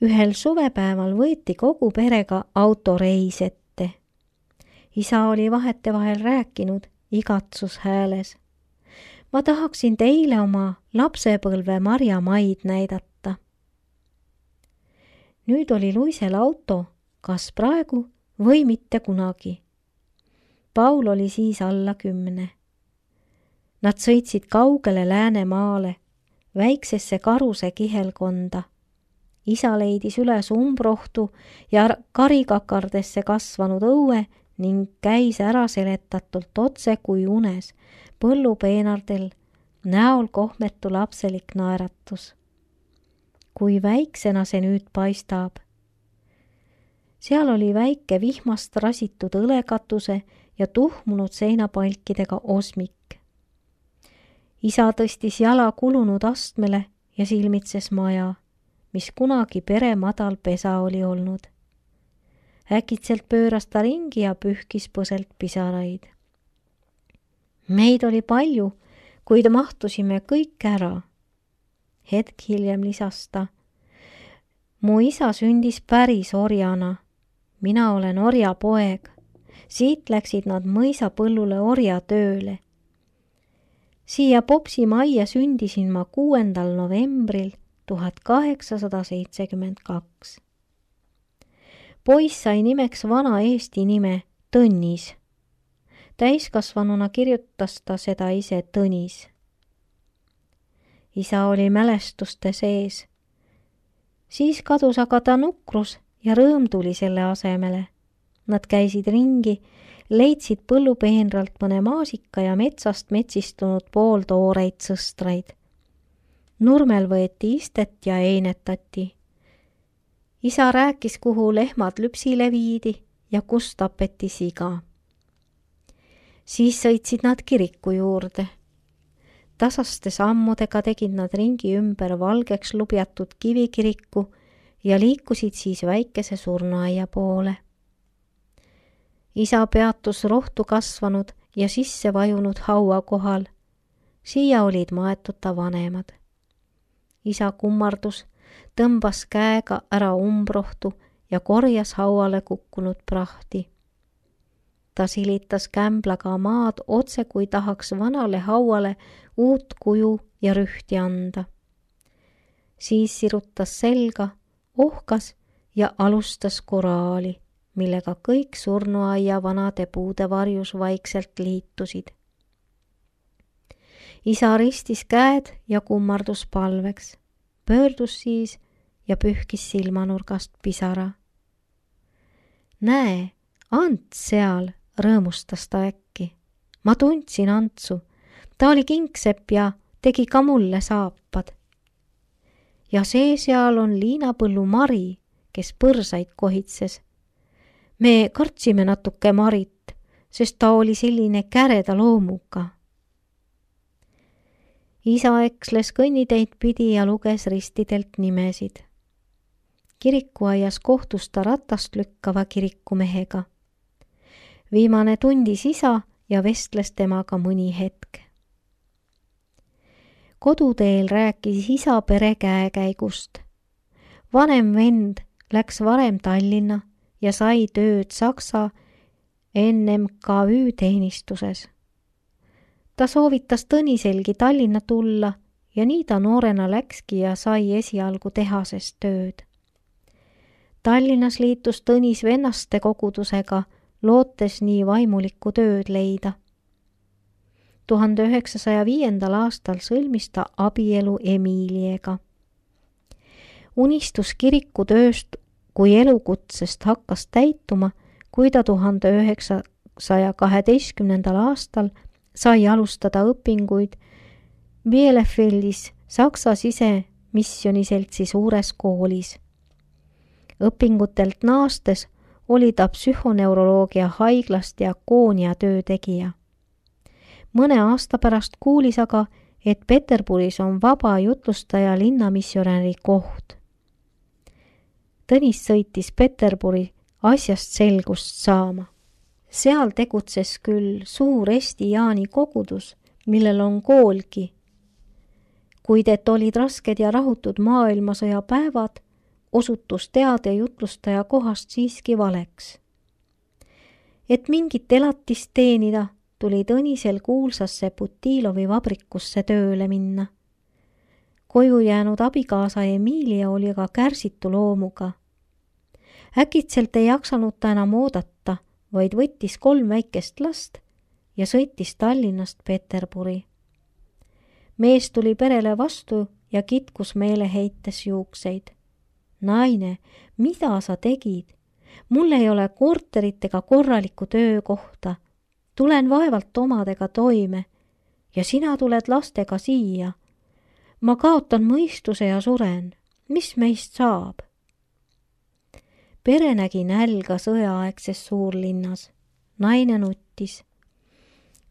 Ühel suvepäeval võeti kogu perega autoreis ette. Isa oli vahetevahel rääkinud igatsushääles. Ma tahaksin teile oma lapsepõlve marjamaid näidata. Nüüd oli Luisel auto, kas praegu või mitte kunagi. Paul oli siis alla 10. Nad sõitsid kaugele Läänemaale, väiksesse Karuse kihelkonda. Isa leidis üles umbrohtu ja karikakardesse kasvanud õue ning käis ära seletatult otse kui unes, põllupeenardel, näol kohmetu lapselik naeratus. Kui väiksena see nüüd paistab. Seal oli väike vihmast rasitud õlekatuse ja tuhmunud seinapalkidega osmik. Isa tõstis jala kulunud astmele ja silmitses maja, mis kunagi pere madal pesa oli olnud. Äkitselt pööras ta ringi ja pühkis põselt pisaraid. Meid oli palju, kuid mahtusime kõik ära. Hetk hiljem lisas ta. Mu isa sündis päris orjana. Mina olen orjapoeg. Siit läksid nad mõisapõllule orjatööle. Siia Popsi majja sündisin ma 6. novembril 1872. Poiss sai nimeks vana eesti nime Tõnis. Täiskasvanuna kirjutas ta seda ise Tõnis. Isa oli mälestuste sees. Siis kadus aga ta nukrus ja rõõm tuli selle asemele. Nad käisid ringi, leidsid põllupeenralt mõne maasika ja metsast metsistunud pooltooreid sõstraid. Nurmel võeti istet ja einetati. Isa rääkis, kuhu lehmad lüpsile viidi ja kus tapeti siga. Siis sõitsid nad kiriku juurde. Tasaste sammudega tegid nad ringi ümber valgeks lubjatud kivikiriku ja liikusid siis väikese surnuaia poole. Isa peatus rohtu kasvanud ja sisse vajunud haua kohal. Siia olid maetud ta vanemad. Isa kummardus, tõmbas käega ära umbrohtu ja korjas hauale kukkunud prahti. Ta silitas kämblaga maad otse, kui tahaks vanale hauale uut kuju ja rühti anda. Siis sirutas selga, ohkas ja alustas koraali, millega kõik surnuaia vanade puude varjus vaikselt liitusid. Isa ristis käed ja kummardus palveks, pöördus siis ja pühkis silmanurgast pisara. Näe, Ants seal, rõõmustas ta äkki. Ma tundsin Antsu, ta oli kingsepp ja tegi ka mulle saapad. Ja see seal on liinapõllu Mari, kes põrsaid kohitses. Me kartsime natuke Marit, sest ta oli selline käreda loomuga. Isa eksles kõnniteid pidi ja luges ristidelt nimesid. Kirikuaias kohtus ta ratast lükkava kirikumehega. Viimane tundis isa ja vestles temaga mõni hetk. Koduteel rääkis isa pere käekäigust. Vanem vend läks varem Tallinna ja sai tööd Saksa NMKÜ teenistuses. Ta soovitas Tõniselgi Tallinna tulla ja nii ta noorena läkski ja sai esialgu tehases tööd. Tallinnas liitus Tõnis vennaste kogudusega, lootes nii vaimulikku tööd leida. 1905. aastal sõlmis ta abielu Emiiliega. Unistus kirikutööst kui elukutsest hakkas täituma, kui ta 1912. aastal sai alustada õpinguid Bielefeldis Saksa sisemisjoniseltsi suures koolis. Õpingutelt naastes oli ta psühhoneuroloogia haiglast diakoonia töötegija. Mõne aasta pärast kuulis aga, et Peterburis on vaba jutlustaja linnamissionäri koht. Tõnis sõitis Peterburi asjast selgust saama. Seal tegutses küll suur Eesti Jaani kogudus, millel on koolgi. Kuid et olid rasked ja rahutud maailmasõja päevad, osutus teade jutlustaja kohast siiski valeks. Et mingit elatist teenida, tuli Tõnisel kuulsasse Putilovi vabrikusse tööle minna. Koju jäänud abikaasa Emilia oli aga kärsitu loomuga. Äkitselt ei jaksanud ta enam oodata, vaid võttis 3 väikest last ja sõitis Tallinnast Peterburi. Mees tuli perele vastu ja kitkus meeleheites juukseid. Naine, mida sa tegid? Mul ei ole korterit ega korralikku töökohta. Tulen vaevalt omadega toime ja sina tuled lastega siia. Ma kaotan mõistuse ja suren. Mis meist saab? Pere nägi nälga sõjaaegses suurlinnas. Naine nuttis.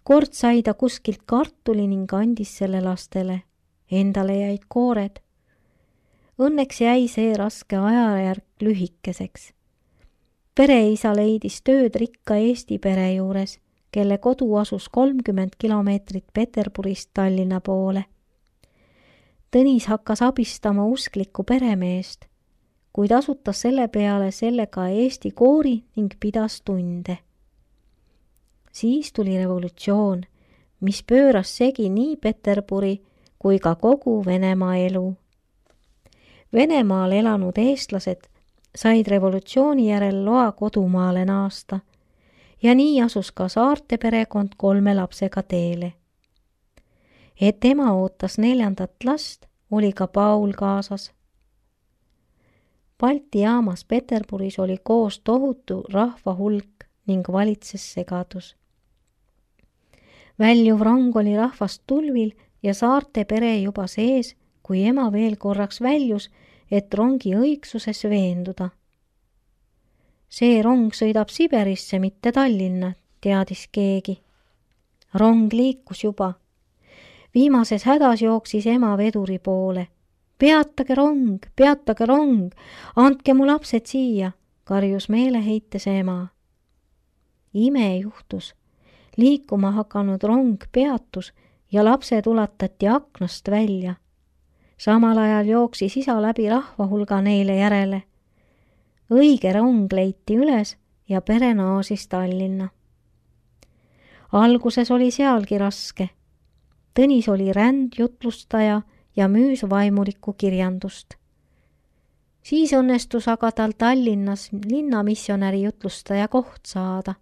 Kord sai ta kuskilt kartuli ning andis selle lastele. Endale jäid koored. Õnneks jäi see raske ajajärk lühikeseks. Pereisa leidis tööd rikka Eesti pere juures, kelle kodu asus 30 kilomeetrit Peterburist Tallinna poole. Tõnis hakkas abistama usklikku peremeest, kuid asutas selle peale sellega Eesti koori ning pidas tunde. Siis tuli revolutsioon, mis pööras segi nii Peterburi kui ka kogu Venemaa elu. Venemaal elanud eestlased said revolutsiooni järel loa kodumaale naasta ja nii asus ka Saarte perekond 3 lapsega teele. Et ema ootas 4. last, oli ka Paul kaasas. Balti jaamas Peterburis oli koos tohutu rahva hulk ning valitses segadus. Väljuv rong oli rahvast tulvil ja Saarte pere juba sees, kui ema veel korraks väljus, et rongi õigsuses veenduda. See rong sõidab Siberisse, mitte Tallinna, teadis keegi. Rong liikus juba. Viimases hädas jooksis ema veduri poole. Peatage rong, andke mu lapsed siia, karjus meeleheites ema. Ime juhtus. Liikuma hakanud rong peatus ja lapsed ulatati aknast välja. Samal ajal jooksis isa läbi rahva hulga neile järele. Õige rong leiti üles ja pere naasis Tallinna. Alguses oli sealgi raske. Tõnis oli rändjutlustaja ja müüs vaimulikku kirjandust. Siis õnnestus aga tal Tallinnas linnamissionäri jutlustaja koht saada.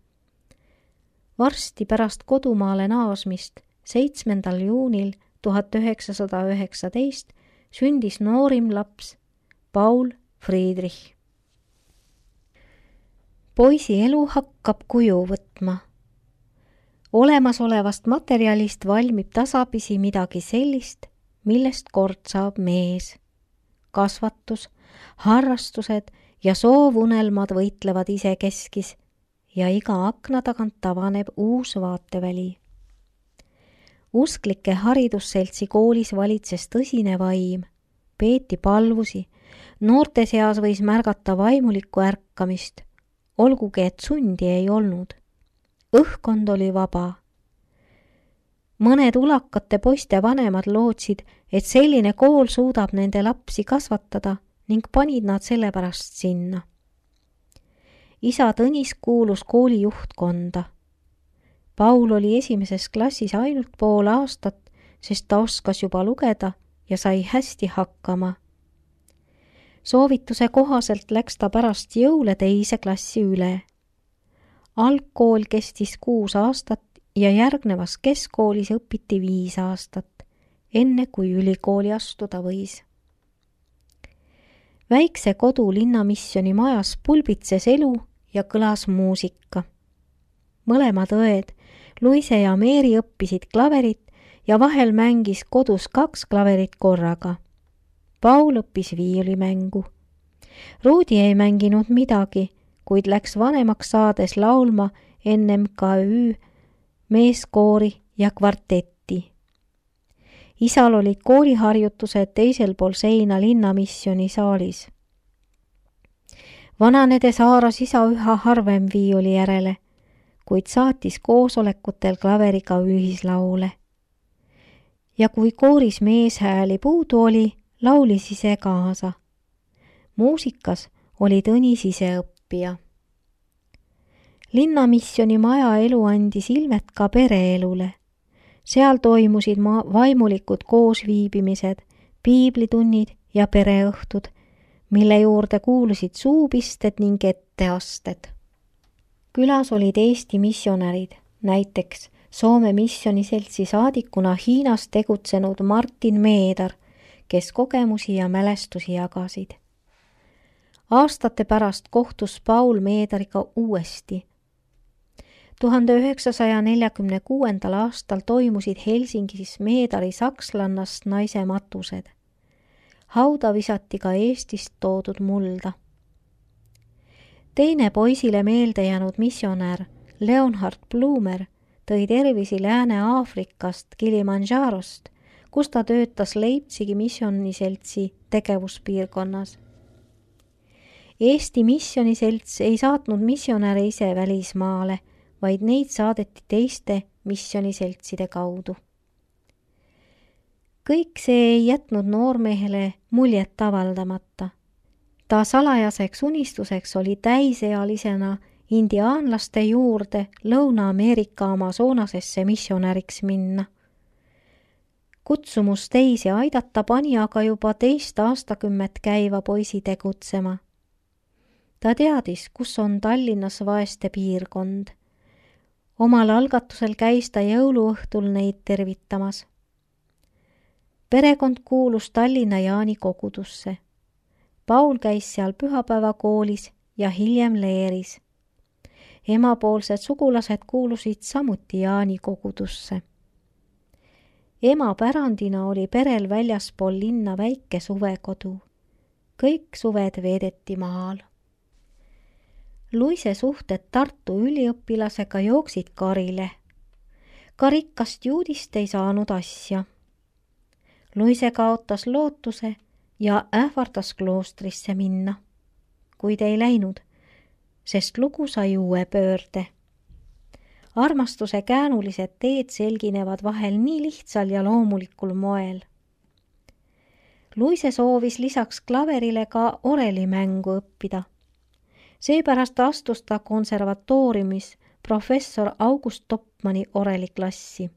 Varsti pärast kodumaale naasmist 7. juunil 1919 sündis noorim laps Paul Friedrich. Poisi elu hakkab kuju võtma. Olemasolevast materjalist valmib tasapisi midagi sellist, millest kord saab mees. Kasvatus, harrastused ja soovunelmad võitlevad isekeskis ja iga akna tagant avaneb uus vaateväli. Usklike haridusseltsi koolis valitses tõsine vaim, peeti palvusi, noorte seas võis märgata vaimulikku ärkamist, olgugi et sundi ei olnud. Õhkkond oli vaba. Mõned ulakate poiste vanemad lootsid, et selline kool suudab nende lapsi kasvatada ning panid nad sellepärast sinna. Isa Tõnis kuulus kooli juhtkonda. Paul oli 1. klassis ainult pool aastat, sest ta oskas juba lugeda ja sai hästi hakkama. Soovituse kohaselt läks ta pärast jõule 2. klassi üle. Algkool kestis 6 aastat ja järgnevas keskkoolis õpiti 5 aastat, enne kui ülikooli astuda võis. Väikse kodu linnamissioni majas pulbitses elu ja kõlas muusika. Mõlemad õed, Luise ja Meeri õppisid klaverit ja vahel mängis kodus 2 klaverit korraga. Paul õppis viiulimängu. Ruudi ei mänginud midagi, kuid läks vanemaks saades laulma NMKÜ, meeskoori ja kvartetti. Isal olid kooliharjutused teisel pool seina linnamissioni saalis. Vananedes haaras isa üha harvem viiuli järele, kuid saatis koosolekutel klaveriga ühislaule. Ja kui kooris meeshääli puudu oli, laulis ise kaasa. muusikas oli Tõnis ise õppija. Linnamisjoni maja elu andis ilmet ka pereelule. Seal toimusid vaimulikud koosviibimised, piiblitunnid ja pereõhtud, mille juurde kuulusid suupisted ning etteasted. Külas olid Eesti missionärid, näiteks Soome missioniseltsi saadikuna Hiinas tegutsenud Martin Meedar, kes kogemusi ja mälestusi jagasid. Aastate pärast kohtus Paul Meedariga uuesti. 1946. aastal toimusid Helsingis Meedari sakslannast naise matused. Hauda visati ka Eestist toodud mulda. Teine poisile meelde jäänud missionär Leonhard Blumer tõi tervisi Lääne-Aafrikast Kilimanjarost, kus ta töötas Leipzigi missioniseltsi tegevuspiirkonnas. Eesti missioniselts ei saatnud missionäre ise välismaale, vaid neid saadeti teiste missioniseltside kaudu. Kõik see ei jätnud noormehele muljet avaldamata. Ta salajaseks unistuseks oli täisealisena indiaanlaste juurde Lõuna-Ameerika Amazonasesse missionäriks minna. Kutsumus teisi aidata pani aga juba 2 aastakümmet käiva poisi tegutsema. Ta teadis, kus on Tallinnas vaeste piirkond. Omal algatusel käis ta jõuluõhtul neid tervitamas. Perekond kuulus Tallinna Jaani kogudusse. Paul käis seal pühapäevakoolis ja hiljem leeris. Emapoolsed sugulased kuulusid samuti Jaani kogudusse. Ema pärandina oli perel väljaspool linna väike suvekodu. Kõik suved veedeti maal. Luise suhted Tartu üliõpilasega jooksid karile. Ka rikkast juudist ei saanud asja. Luise kaotas lootuse ja ähvardas kloostrisse minna, kuid ei läinud, sest lugu sai uue pöörde. Armastuse käänulised teed selginevad vahel nii lihtsal ja loomulikul moel. Luise soovis lisaks klaverile ka orelimängu õppida. Seepärast astus ta konservatooriumis professor August Topmani oreliklassi.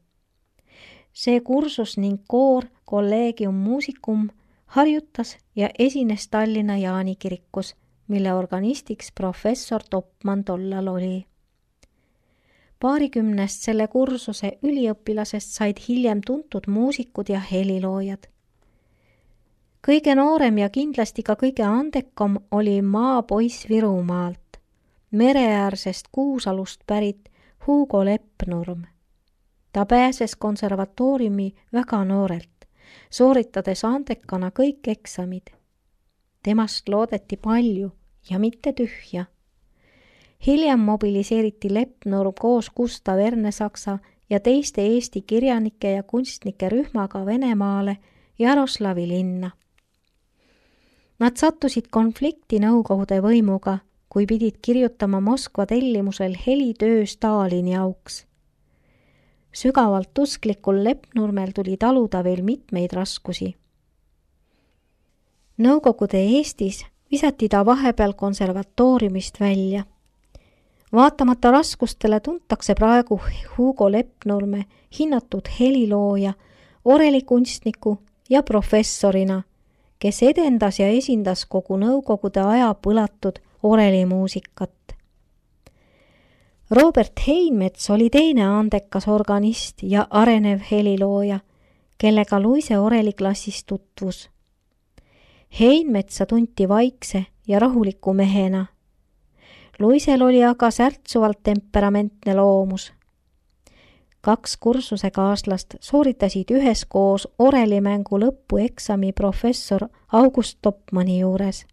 See kursus ning koor Collegium Musicum harjutas ja esines Tallinna Jaani kirikus, mille organistiks professor Topman tollal oli. 20 selle kursuse üliõpilasest said hiljem tuntud muusikud ja heliloojad. Kõige noorem ja kindlasti ka kõige andekam oli maapoiss Virumaalt, mereäärsest Kuusalust pärit Hugo Leppnurm. Ta pääses konservatooriumi väga noorelt, sooritades andekana kõik eksamid. Temast loodeti palju ja mitte tühja. Hiljem mobiliseeriti Leppnurm koos Gustav Ernesaksa ja teiste Eesti kirjanike ja kunstnike rühmaga Venemaale Jaroslavi linna. Nad sattusid konflikti Nõukogude võimuga, kui pidid kirjutama Moskva tellimusel helitöö Stalini auks. Sügavalt usklikul Leppnurmel tuli taluda veel mitmeid raskusi. Nõukogude Eestis visati ta vahepeal konservatooriumist välja. Vaatamata raskustele tuntakse praegu Hugo Leppnurme hinnatud helilooja, orelikunstniku ja professorina, kes edendas ja esindas kogu Nõukogude aja põlatud orelimuusikat. Robert Heinmets oli teine andekas organist ja arenev helilooja, kellega Luise oreliklassis tutvus. Heinmetsa tunti vaikse ja rahuliku mehena. Luisel oli aga särtsuvalt temperamentne loomus. 2 kursusekaaslast sooritasid üheskoos orelimängu lõpueksami professor August Topmani juures.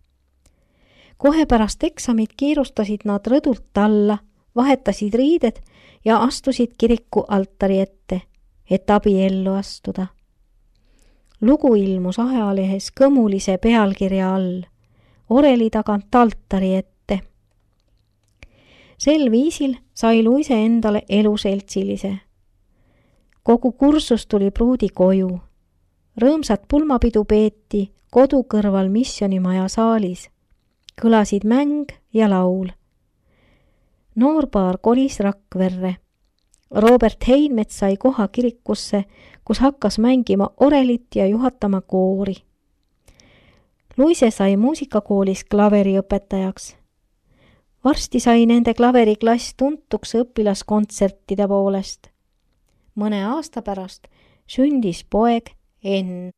Kohe pärast eksamit kiirustasid nad rõdult alla, vahetasid riided ja astusid kiriku altari ette, et abiellu astuda. Lugu ilmus ajalehes kõmulise pealkirja all, oreli tagant altari ette. Sel viisil sai Luise endale eluseltsilise. Kogu kursus tuli pruudi koju. Rõõmsat pulmapidu peeti kodu kõrval missionimaja saalis, kõlasid mäng ja laul. Noorpaar kolis Rakverre. Robert Heinmets sai koha kirikusse, kus hakkas mängima orelit ja juhatama koori. Luise sai muusikakoolis klaveriõpetajaks. Varsti sai nende klaveriklass tuntuks õpilaskontsertide poolest. Mõne aasta pärast sündis poeg Enn.